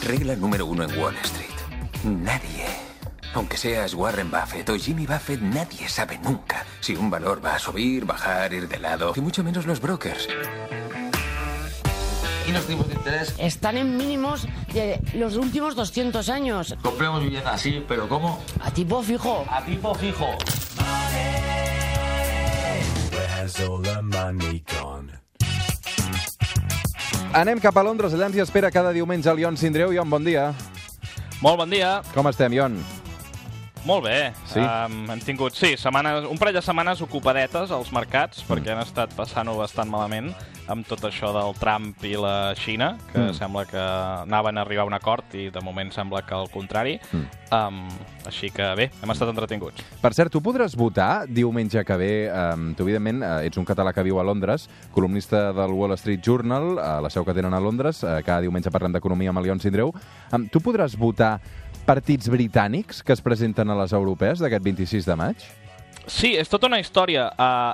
Regla número 1 en Wall Street. Nadie, aunque seas Warren Buffett o Jimmy Buffett, nadie sabe nunca si un valor va a subir, bajar, ir de lado, y mucho menos los brokers. ¿Y los tipos de interés? Están en mínimos de los últimos 200 años. Compremos vivienda así, pero ¿cómo? A tipo fijo. A tipo fijo. Anem cap a Londres, allà ens hi espera cada diumenge el Ion Sindreu. Ion, bon dia. Molt bon dia. Com estem, Ion? Molt bé. Sí? Hem tingut, un parell de setmanes ocupadetes als mercats, perquè han estat passant-ho bastant malament amb tot això del Trump i la Xina, que sembla que anaven a arribar a un acord i de moment sembla que al contrari. Així que bé, hem estat entretinguts. Per cert, tu podràs votar diumenge que ve. Tu, evidentment, ets un català que viu a Londres, columnista del Wall Street Journal, a la seu que tenen a Londres. Cada diumenge parlem d'economia amb el Ion Sindreu. Tu podràs votar partits britànics que es presenten a les europees d'aquest 26 de maig? Sí, és tota una història.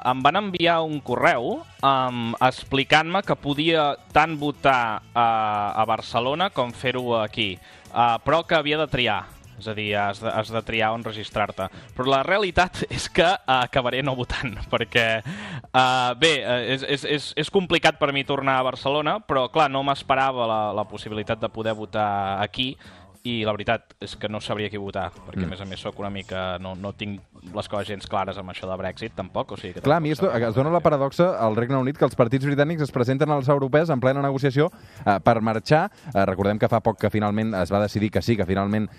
Em van enviar un correu explicant-me que podia tant votar a Barcelona com fer-ho aquí, però que havia de triar. És a dir, has de triar on registrar-te. Però la realitat és que acabaré no votant, perquè, és complicat per mi tornar a Barcelona, però, clar, no m'esperava la possibilitat de poder votar aquí, i la veritat és que no sabria qui votar, perquè a més soc una mica... No tinc les coses gens clares amb això de Brexit, tampoc. O sigui que clar, a mi es dona la paradoxa al Regne Unit que els partits britànics es presenten als europeus en plena negociació per marxar. Recordem que fa poc que finalment es va decidir que sí, que finalment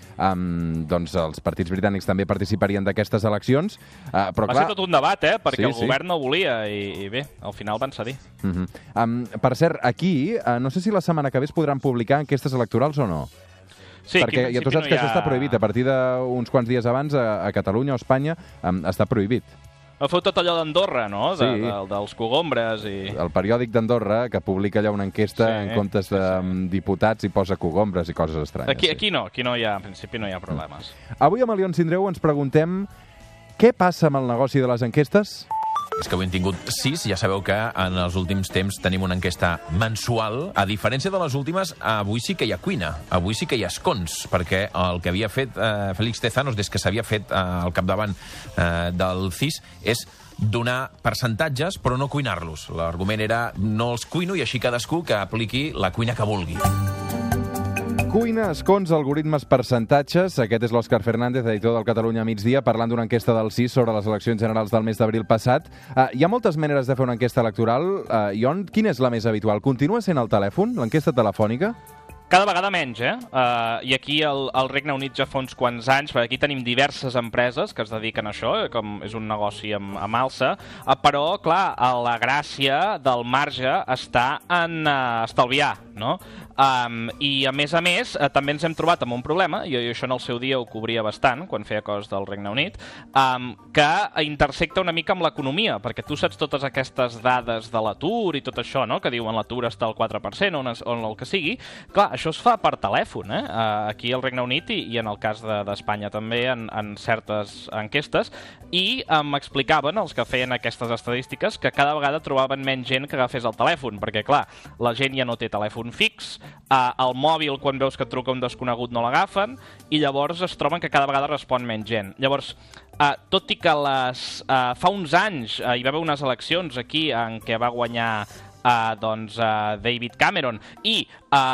doncs els partits britànics també participarien d'aquestes eleccions. Però, va ser tot un debat, perquè el govern no volia i bé, al final van cedir. Per cert, aquí, no sé si la setmana que ve es podran publicar enquestes electorals o no. Sí, perquè ja tu saps que això està prohibit. A partir d'uns quants dies abans, a Catalunya o Espanya, està prohibit. Feu tot allò d'Andorra, no? Sí. Dels cogombres i... El periòdic d'Andorra, que publica allà una enquesta en comptes de diputats i posa cogombres i coses estranyes. Aquí no hi ha, en principi no hi ha problemes. Avui amb el Ion Sindreu ens preguntem què passa amb el negoci de les enquestes? És que avui hem tingut 6, ja sabeu que en els últims temps tenim una enquesta mensual. A diferència de les últimes, avui sí que hi ha cuina, avui sí que hi ha escons, perquè el que havia fet Félix Tezanos des que s'havia fet al capdavant del CIS és donar percentatges però no cuinar-los. L'argument era no els cuino i així cadascú que apliqui la cuina que vulgui. Cuina, escons, algoritmes, percentatges. Aquest és l'Òscar Fernández, editor del Catalunya Migdia, parlant d'una enquesta del CIS sobre les eleccions generals del mes d'abril passat. Hi ha moltes maneres de fer una enquesta electoral. Ion, quina és la més habitual? Continua sent el telèfon, l'enquesta telefònica? Cada vegada menys, I aquí al Regne Unit ja fa uns quants anys, perquè aquí tenim diverses empreses que es dediquen a això, com és un negoci amb alça, però, clar, la gràcia del marge està en estalviar, no? I, a més, també ens hem trobat amb un problema, i això en el seu dia ho cobria bastant, quan feia coses del Regne Unit, que intersecta una mica amb l'economia, perquè tu saps totes aquestes dades de l'atur i tot això, no?, que diuen l'atur està al 4%, on el que sigui. Clar, això es fa per telèfon, aquí al Regne Unit i en el cas d'Espanya també, en certes enquestes, i m'explicaven, els que feien aquestes estadístiques, que cada vegada trobaven menys gent que agafés el telèfon, perquè, clar, la gent ja no té telèfon fix, el mòbil, quan veus que et truca un desconegut, no l'agafen, i llavors es troben que cada vegada respon menys gent. Llavors, tot i que fa uns anys hi va haver unes eleccions aquí en què va guanyar David Cameron i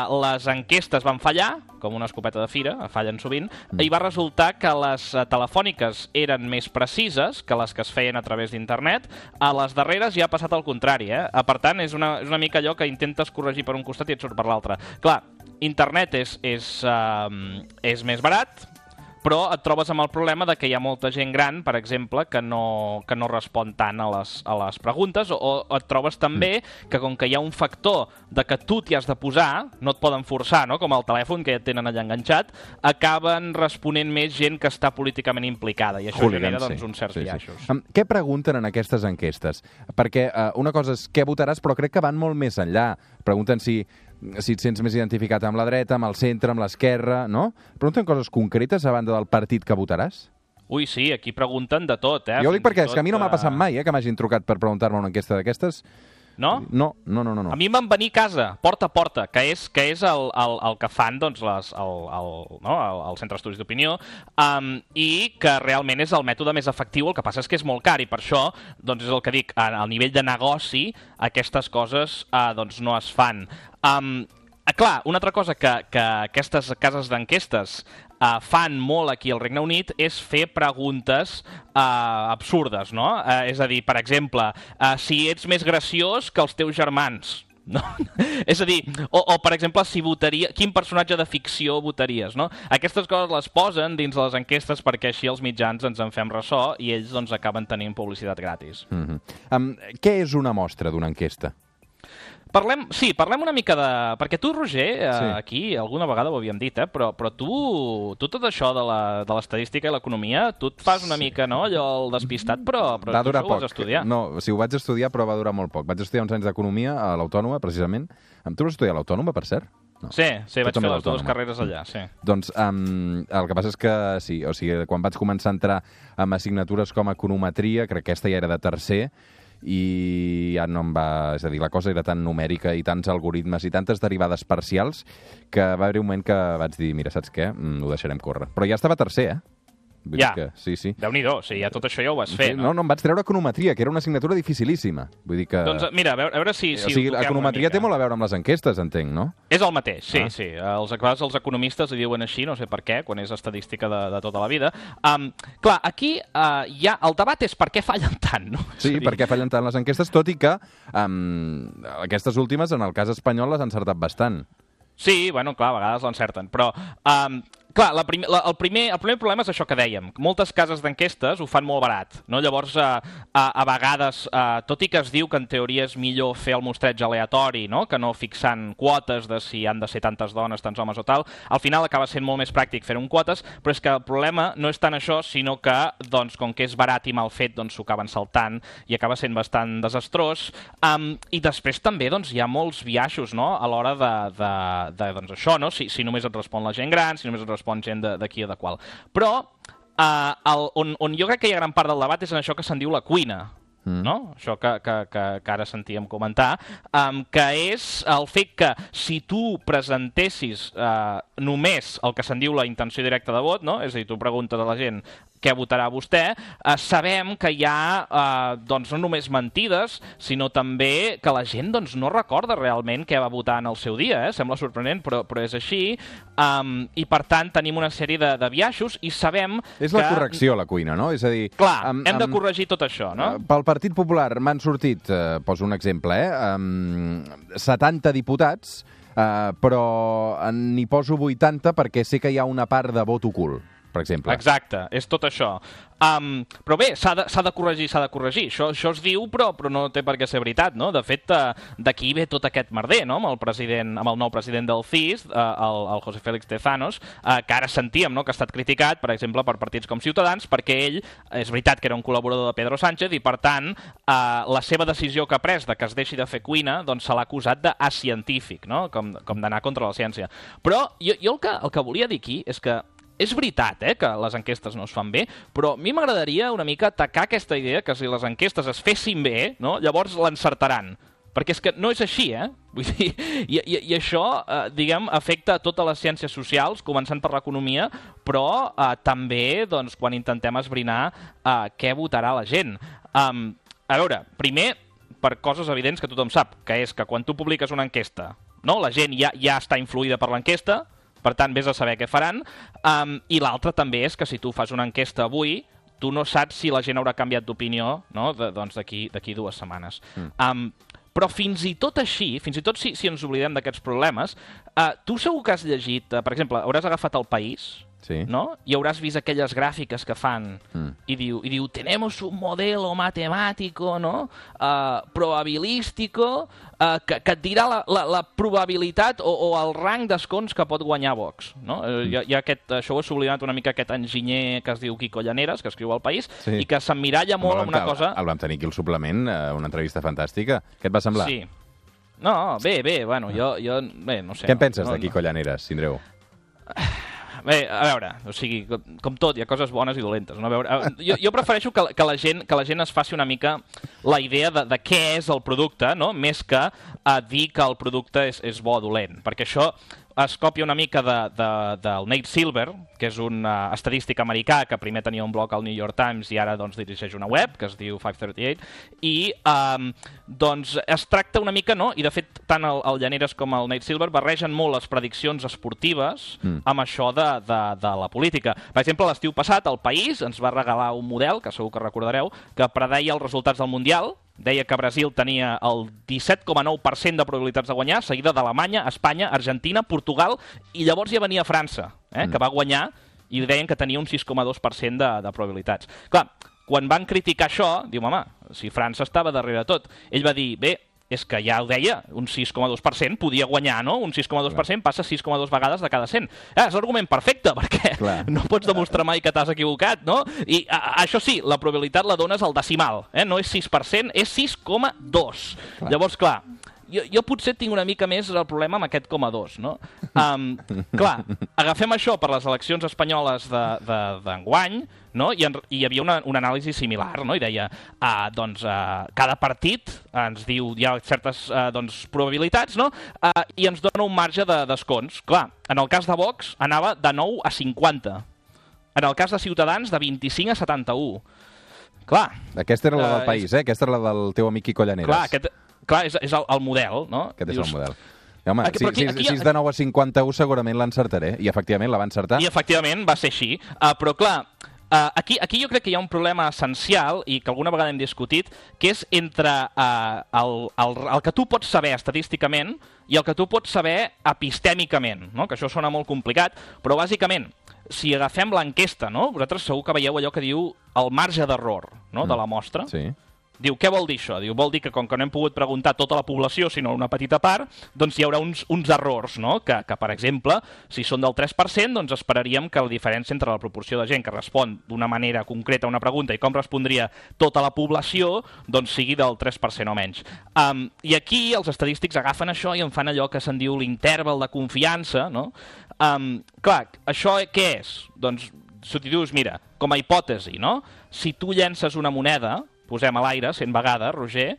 les enquestes van fallar, com una escopeta de fira, fallen sovint, i va resultar que les telefòniques eren més precises que les que es feien a través d'internet. A les darreres ja ha passat el contrari, Per tant, és una mica allò que intentes corregir per un costat i et surt per l'altre. Clar, internet és més barat, però et trobes amb el problema de que hi ha molta gent gran, per exemple, que no respon tant a les preguntes, o et trobes també que com que hi ha un factor de que tu t'hi has de posar, no et poden forçar, no?, com el telèfon que ja et tenen allà enganxat, acaben responent més gent que està políticament implicada, i això genera uns certs biaixos. Què pregunten en aquestes enquestes? Perquè una cosa és què votaràs, però crec que van molt més enllà. Pregunten si et sents més identificat amb la dreta, amb el centre, amb l'esquerra, no? Pregunten coses concretes a banda del partit que votaràs? Ui, sí, aquí pregunten de tot, Jo ho dic perquè és que a mi no m'ha passat mai, que m'hagin trucat per preguntar-me una enquesta d'aquestes. No? No. A mi em van venir a casa, porta a porta, que és el que fan doncs, el Centre d'Estudis d'Opinió, i que realment és el mètode més efectiu, el que passa és que és molt car, i per això doncs, és el que dic, al nivell de negoci aquestes coses doncs, no es fan. Clar, una altra cosa que aquestes cases d'enquestes fan molt aquí al Regne Unit és fer preguntes absurdes, no? És a dir, per exemple, si ets més graciós que els teus germans, no? És a dir, o per exemple, si quin personatge de ficció votaries, no? Aquestes coses les posen dins de les enquestes perquè així els mitjans ens en fem ressò i ells doncs, acaben tenint publicitat gratis. Què és una mostra d'una enquesta? Parlem una mica de... Perquè tu, Roger, aquí alguna vegada ho havíem dit, però tu tot això de l'estadística i l'economia, tu et fas una mica, no?, allò el despistat, però tu ho vas estudiar. No, sí, ho vaig estudiar, però va durar molt poc. Vaig estudiar uns anys d'economia a l'Autònoma, precisament. Tu vas estudiar a l'Autònoma, per cert? No. Sí, vaig fer les dues carreres allà, sí. Doncs el que passa és que, sí, o sigui, quan vaig començar a entrar amb assignatures com econometria, crec que aquesta ja era de tercer, i ja no em va... És a dir, la cosa era tan numèrica i tants algoritmes i tantes derivades parcials que va haver un moment que vaig dir, mira, saps què? Ho deixarem córrer. Però ja estava tercer, Vull dir que, sí. Déu-n'hi-do, sí, ja tot això ja ho vas fer, no? No, em vaig treure econometria, que era una assignatura dificilíssima. Vull dir que... Doncs mira, a veure si o sigui, l'econometria té molt a veure amb les enquestes, entenc, no? És el mateix, sí. Els economistes li diuen així, no sé per què, quan és estadística de tota la vida. Clar, aquí el debat és per què fallen tant, no? Sí, per què fallen tant les enquestes, tot i que aquestes últimes, en el cas espanyol, les han encertat bastant. Sí, bueno, clar, a vegades l'encerten, però... Clar, el primer problema és això que dèiem. Moltes cases d'enquestes ho fan molt barat, no? Llavors, a vegades, tot i que es diu que en teoria és millor fer el mostreig aleatori, no?, que no fixant quotes de si han de ser tantes dones, tants homes o tal, al final acaba sent molt més pràctic fer-ho en quotes, però és que el problema no és tant això, sinó que, doncs, com que és barat i mal fet, doncs s'ho acaben saltant i acaba sent bastant desastrós. I després també, doncs, hi ha molts biaixos, no?, a l'hora doncs, això, no?, si només et respon la gent gran, si només et respon gent d'aquí o de qual. Però on jo crec que hi ha gran part del debat és en això que se'n diu la cuina, no? Això que ara sentíem comentar, que és el fet que si tu presentessis només el que se'n diu la intenció directa de vot, no? És a dir, tu preguntes a la gent què votarà vostè, sabem que hi ha doncs, no només mentides, sinó també que la gent doncs, no recorda realment què va votar en el seu dia. Sembla sorprenent, però és així. I, per tant, tenim una sèrie de biaixos i sabem que... És la correcció, la cuina, no? És a dir... Clar, hem de corregir tot això, no? Pel Partit Popular m'han sortit, poso un exemple, 70 diputats, però n'hi poso 80 perquè sé que hi ha una part de vot ocult, per exemple. Exacte, és tot això. Però bé, s'ha de corregir. Això es diu, però no té per què ser veritat, no? De fet, d'aquí ve tot aquest merder, no?, amb el nou president del CIS, el José Félix Tezanos, que ara sentíem, no?, que ha estat criticat, per exemple, per partits com Ciutadans, perquè ell, és veritat que era un col·laborador de Pedro Sánchez, i per tant, la seva decisió que ha pres de que es deixi de fer cuina, doncs se l'ha acusat d'acientífic, no?, com d'anar contra la ciència. Però jo el que volia dir aquí és que és veritat que les enquestes no es fan bé, però a mi m'agradaria una mica atacar aquesta idea que si les enquestes es fessin bé, no, llavors l'encertaran. Perquè és que no és així, Vull dir, i això, diguem, afecta a totes les ciències socials, començant per l'economia, però també doncs, quan intentem esbrinar què votarà la gent. A veure, primer, per coses evidents que tothom sap, que és que quan tu publiques una enquesta, no, la gent ja està influïda per l'enquesta, per tant, vés a saber què faran. I l'altre també és que si tu fas una enquesta avui, tu no saps si la gent haurà canviat d'opinió, no?, doncs d'aquí 2 setmanes. Però fins i tot així, fins i tot si ens oblidem d'aquests problemes, tu segur que has llegit, per exemple, hauràs agafat El País, sí, no?, i hauràs vist aquelles gràfiques que fan i diu tenemos un modelo matemático, no?, probabilístico, que et dirà la probabilitat o el rang d'escons que pot guanyar Vox, no? Hi ha això ho he sublimat una mica, aquest enginyer que es diu Quico Llaneras, que escriu al País, i que s'emmiralla molt amb una cosa... El vam tenir aquí al suplement, una entrevista fantàstica. Què et va semblar? Sí. No, bé, bueno, jo bé, no sé. Què en penses de Quico Llaneras, Sindreu? Bé, a veure, o sigui, com tot, hi ha coses bones i dolentes. No? A veure, jo prefereixo que la gent es faci una mica la idea de què és el producte, no? Més que dir que el producte és bo o dolent, perquè això es copia una mica del Nate Silver, que és un estadístic americà que primer tenia un blog al New York Times i ara doncs, dirigeix una web que es diu 538, i doncs es tracta una mica, no? I de fet tant el Llaneres com el Nate Silver barregen molt les prediccions esportives amb això de la política. Per exemple, l'estiu passat el País ens va regalar un model, que segur que recordareu, que predeia els resultats del Mundial. Deia que Brasil tenia el 17,9% de probabilitats de guanyar, seguida d'Alemanya, Espanya, Argentina, Portugal, i llavors ja venia França, que va guanyar, i deien que tenia un 6,2% de probabilitats. Clar, quan van criticar això, diu, home, si França estava darrere tot, ell va dir, bé, és que ja ho deia, un 6,2% podia guanyar, no? Un 6,2% passa 6,2 vegades de cada 100. És l'argument perfecte, perquè no pots demostrar mai que t'has equivocat, no? I això sí, la probabilitat la dones al decimal, no és 6%, és 6,2. Llavors, clar, jo potser tinc una mica més el problema amb aquest 0,2, no? Clar, agafem això per les eleccions espanyoles d'enguany, no? I hi havia una anàlisi similar, no? I deia, cada partit ens diu, hi ha certes probabilitats, no? I ens dona un marge de descons. Clar, en el cas de Vox anava de 9 a 50. En el cas de Ciutadans, de 25 a 71. Clar. Aquesta era la del País, Aquesta era la del teu amic Quico Llaneres. Clar, és el model, no? Aquest és el model. Home, si és de 9 a 51 segurament l'encertaré. I efectivament la va encertar. I efectivament va ser així. Però clar, aquí jo crec que hi ha un problema essencial i que alguna vegada hem discutit, que és entre el que tu pots saber estadísticament i el que tu pots saber epistèmicament, no? Que això sona molt complicat, però bàsicament, si agafem l'enquesta, no? Vosaltres segur que veieu allò que diu el marge d'error, no? De la mostra. Sí. Diu, què vol dir això? Diu, vol dir que com que no hem pogut preguntar tota la població, sinó una petita part, doncs hi haurà uns errors, no? Que, per exemple, si són del 3%, doncs esperaríem que la diferència entre la proporció de gent que respon d'una manera concreta a una pregunta i com respondria tota la població, doncs sigui del 3% o menys. I aquí els estadístics agafen això i en fan allò que se'n diu l'interval de confiança, no? Clar, això què és? Doncs, si t'hi dius, mira, com a hipòtesi, no? Si tu llences una moneda, posem a l'aire 100 vegades, Roger,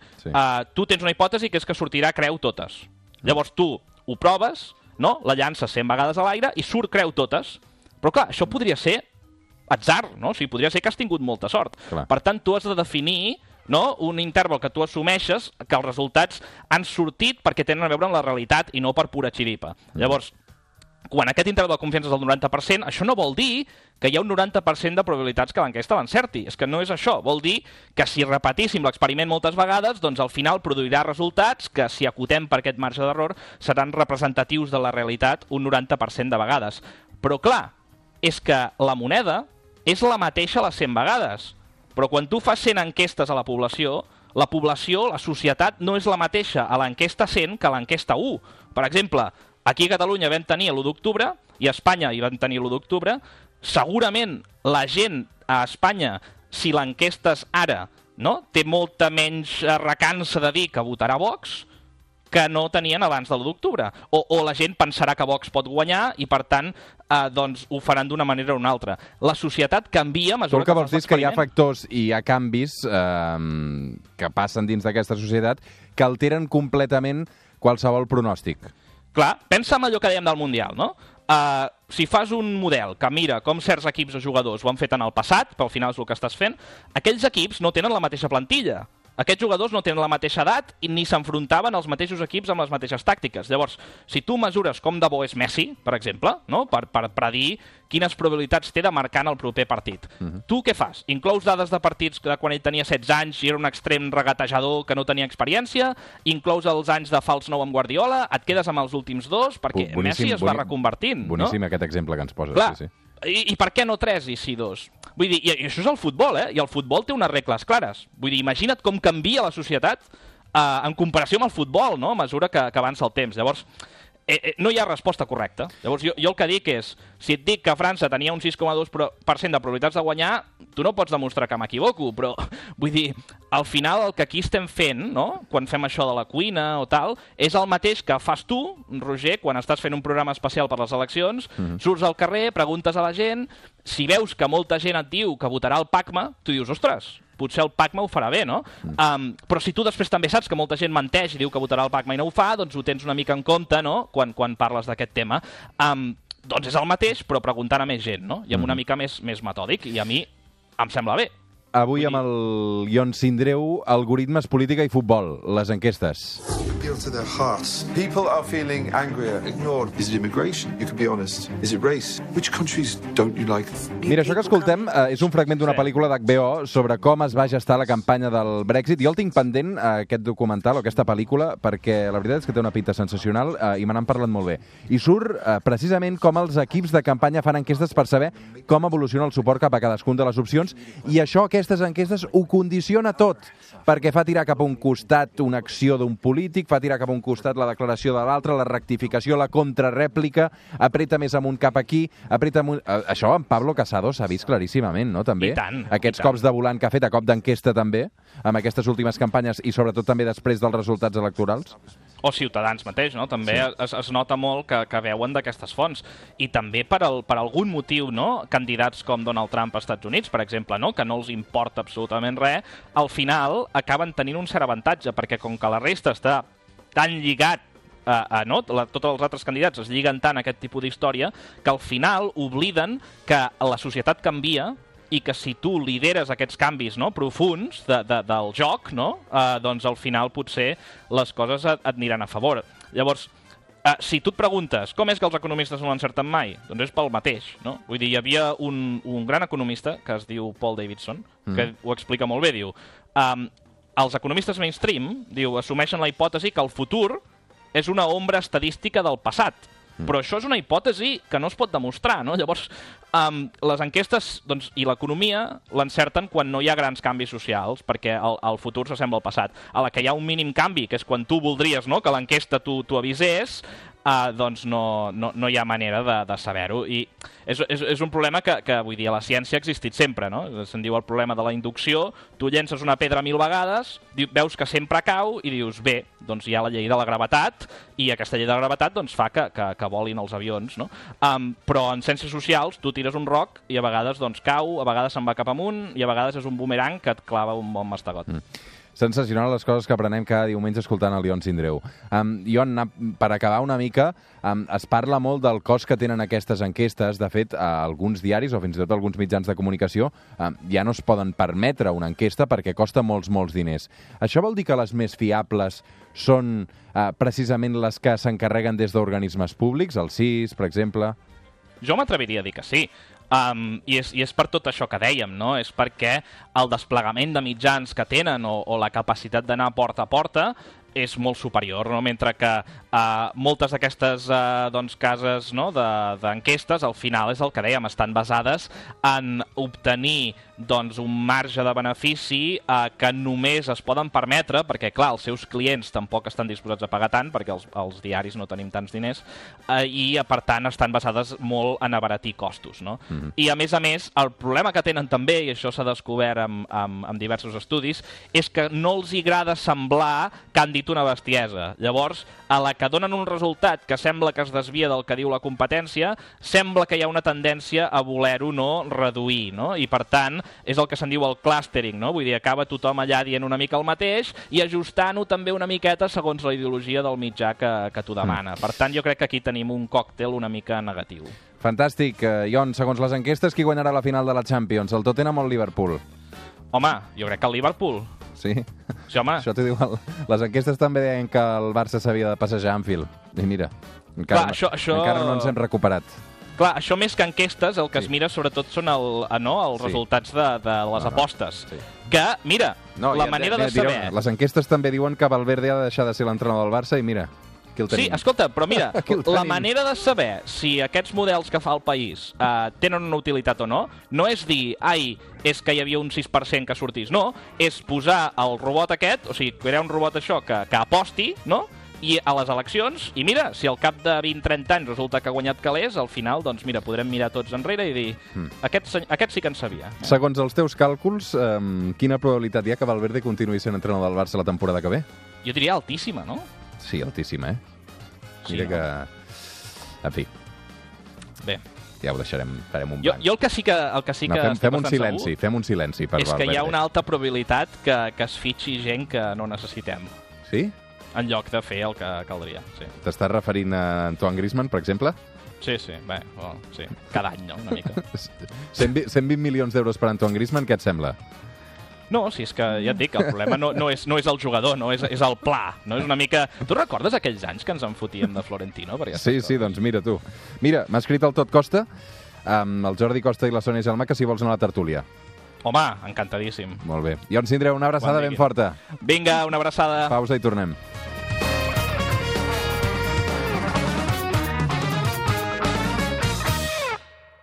tu tens una hipòtesi que és que sortirà creu totes. Llavors tu ho proves, no? La llances 100 vegades a l'aire i surt creu totes. Però clar, això podria ser atzar, no? O sigui, podria ser que has tingut molta sort. Clar. Per tant, tu has de definir, no? Un interval que tu assumeixes que els resultats han sortit perquè tenen a veure amb la realitat i no per pura xiripa. Llavors, quan aquest interval de confiança és del 90%, això no vol dir que hi ha un 90% de probabilitats que l'enquesta l'encerti. És que no és això. Vol dir que si repetíssim l'experiment moltes vegades, doncs al final produirà resultats que, si acotem per aquest marge d'error, seran representatius de la realitat un 90% de vegades. Però clar, és que la moneda és la mateixa les 100 vegades. Però quan tu fas 100 enquestes a la població, la societat, no és la mateixa a l'enquesta 100 que a l'enquesta 1. Per exemple, aquí a Catalunya vam tenir l'1 d'octubre i a Espanya hi vam tenir l'1 d'octubre. Segurament la gent a Espanya, si l'enquesta és ara, no? Té molta menys recança de dir que votarà Vox que no tenien abans de l'1 d'octubre. O la gent pensarà que Vox pot guanyar i, per tant, doncs ho faran d'una manera o una altra. La societat canvia a mesura que... Tu el que vols dir és que hi ha factors i hi ha canvis que passen dins d'aquesta societat que alteren completament qualsevol pronòstic. Clar, pensa en allò que dèiem del Mundial, no? Si fas un model que mira com certs equips o jugadors ho han fet en el passat, però al final és el que estàs fent, aquells equips no tenen la mateixa plantilla. Aquests jugadors no tenen la mateixa edat i ni s'enfrontaven als mateixos equips amb les mateixes tàctiques. Llavors, si tu mesures com de bo és Messi, per exemple, no? per predir quines probabilitats té de marcar en el proper partit. Tu què fas? Inclous dades de partits de quan ell tenia 16 anys i era un extrem regatejador que no tenia experiència? Inclous els anys de fals nou amb Guardiola? Et quedes amb els últims dos? Perquè Messi es va reconvertint. Boníssim aquest exemple que ens poses. Clar, sí. I per què no 3 i sí 2? Vull dir, i això és el futbol, I el futbol té unes regles clares. Vull dir, imagina't com canvia la societat en comparació amb el futbol, no? A mesura que avança el temps. Llavors, no hi ha resposta correcta. Llavors, jo el que dic és, si et dic que França tenia un 6,2% de probabilitats de guanyar, tu no pots demostrar que m'equivoco, però vull dir, al final el que aquí estem fent, no?, quan fem això de la cuina o tal, és el mateix que fas tu, Roger, quan estàs fent un programa especial per les eleccions, surts al carrer, preguntes a la gent, si veus que molta gent et diu que votarà el PACMA, tu dius, ostres, potser el PACMA ho farà bé, no? Però si tu després també saps que molta gent menteix i diu que votarà el PACMA i no ho fa, doncs ho tens una mica en compte, no?, quan parles d'aquest tema. Doncs és el mateix, però preguntant a més gent, no? I amb una mica més metòdic, i a mi em sembla bé. Avui amb el Ion Sindreu, algoritmes, política i futbol, les enquestes. Appeal to their hearts. People are feeling angrier, ignored. Is it immigration? You can be honest. Is it race? Which countries don't you like? Mira, això que escoltem és un fragment d'una pel·lícula d'HBO sobre com es va gestar la campanya del Brexit. Jo el tinc pendent, aquest documental o aquesta pel·lícula, perquè la veritat és que té una pinta sensacional i me n'han parlat molt bé. I surt precisament com els equips de campanya fan enquestes per saber com evoluciona el suport cap a cadascun de les opcions, i això, aquestes enquestes, ho condiciona tot, perquè fa tirar cap a un costat una acció d'un polític, fa tirar cap a un costat la declaració de l'altre, la rectificació, la contrarèplica, apreta més amunt cap aquí, apreta amunt... Això en Pablo Casado s'ha vist claríssimament, no?, també. I tant. Aquests cops de volant que ha fet, a cop d'enquesta també, amb aquestes últimes campanyes i sobretot també després dels resultats electorals. O Ciutadans mateix, no? També es nota molt que veuen d'aquestes fonts. I també per algun motiu, no?, candidats com Donald Trump als Estats Units, per exemple, no?, que no els importa absolutament res, al final acaben tenint un cert avantatge, perquè com que la resta està tan lligat no? Tots els altres candidats es lliguen tant a aquest tipus d'història que al final obliden que la societat canvia i que si tu lideres aquests canvis, no?, profunds del joc, no?, doncs al final potser les coses et aniran a favor. Llavors, si tu et preguntes com és que els economistes no l'encerten mai, doncs és pel mateix, no? Vull dir, hi havia un gran economista que es diu Paul Davidson, que ho explica molt bé, diu, els economistes mainstream, diu, assumeixen la hipòtesi que el futur és una ombra estadística del passat. Però això és una hipòtesi que no es pot demostrar, no? Llavors, les enquestes i l'economia l'encerten quan no hi ha grans canvis socials, perquè el futur s'assembla al passat. A la que hi ha un mínim canvi, que és quan tu voldries, no?, que l'enquesta t'ho avisés, doncs no hi ha manera de saber-ho. I és un problema que, vull dir, a la ciència ha existit sempre, no? Se'n diu el problema de la inducció. Tu llences una pedra 1000 vegades, veus que sempre cau i dius, bé, doncs hi ha la llei de la gravetat, i aquesta llei de la gravetat doncs, fa que volin els avions, no? Però en ciències socials tu tires un roc i a vegades doncs, cau, a vegades se'n va cap amunt i a vegades és un bumerang que et clava un bon mastegot. Sensacional les coses que aprenem cada diumenge escoltant el Ion Sindreu. Ion, per acabar una mica, es parla molt del cost que tenen aquestes enquestes. De fet, alguns diaris o fins i tot alguns mitjans de comunicació ja no es poden permetre una enquesta perquè costa molts diners. Això vol dir que les més fiables són precisament les que s'encarreguen des d'organismes públics, el CIS, per exemple? Jo m'atreviria a dir que sí. I és per tot això que dèiem, no? És perquè el desplegament de mitjans que tenen o la capacitat d'anar porta a porta és molt superior, no? Mentre que moltes d'aquestes cases, no?, d'enquestes, al final és el que dèiem, estan basades en obtenir un marge de benefici que només es poden permetre, perquè, clar, els seus clients tampoc estan disposats a pagar tant, perquè els diaris no tenim tants diners, i, per tant, estan basades molt en abaratir costos, no? I, a més, el problema que tenen també, i això s'ha descobert amb diversos estudis, és que no els agrada semblar que han dit una bestiesa. Llavors, a la que donen un resultat que sembla que es desvia del que diu la competència, sembla que hi ha una tendència a voler-ho no reduir, no? I, per tant, és el que se'n diu el clustering, no? Vull dir, acaba tothom allà dient una mica el mateix i ajustant-ho també una miqueta segons la ideologia del mitjà que t'ho demana. Per tant, jo crec que aquí tenim un còctel una mica negatiu. Fantàstic. Ion, segons les enquestes, qui guanyarà la final de la Champions? El Tottenham o el Liverpool? Home, jo crec que el Liverpool. Sí? Sí, home. Això t'ho diu... Les enquestes també deien que el Barça s'havia de passejar a Anfield. I mira, encara no ens hem recuperat. Clar, això més que enquestes, el que es mira sobretot són els resultats de les apostes. Sí. Que, mira, la manera de saber... Les enquestes també diuen que Valverde ha de deixar de ser l'entrenador del Barça i mira, aquí el tenim. Sí, escolta, però mira, la manera de saber si aquests models que fa el país tenen una utilitat o no, no és dir, és que hi havia un 6% que sortís, no, és posar el robot aquest, o sigui, crear un robot això que aposti, no?, i a les eleccions, i mira, si al cap de 20-30 anys resulta que ha guanyat calés, al final, doncs mira, podrem mirar tots enrere i dir aquest sí que en sabia. Segons els teus càlculs, quina probabilitat hi ha que Valverde continuï sent entrenador del Barça la temporada que ve? Jo diria altíssima, no? Sí, altíssima, Sí, Mira no? que... En fi, Bé. ja ho deixarem, farem un blanc. Jo el que sí que estic fem un bastant silenci, segur fem un silenci per és que Valverde. hi ha una alta probabilitat que es fitxi gent que no necessitem, Sí? en lloc de fer el que caldria. Sí, T'estàs referint a Antoine Griezmann, per exemple? sí, bé, bueno, sí. Cada any, no?, una mica. 120 milions d'euros per Antoine Griezmann, què et sembla? No, si és que ja et dic, el problema no és el jugador, no és el pla, no? És una mica... Tu recordes aquells anys que ens en fotíem de Florentino? Sí, doncs mira tu. Mira, m'ha escrit el Tot Costa, amb el Jordi Costa i la Sònia Gelmà, que si vols anar a la tertúlia. Home, encantadíssim. Molt bé. Ion Sindreu, una abraçada ben forta. Vinga, una abraçada. Pausa i tornem.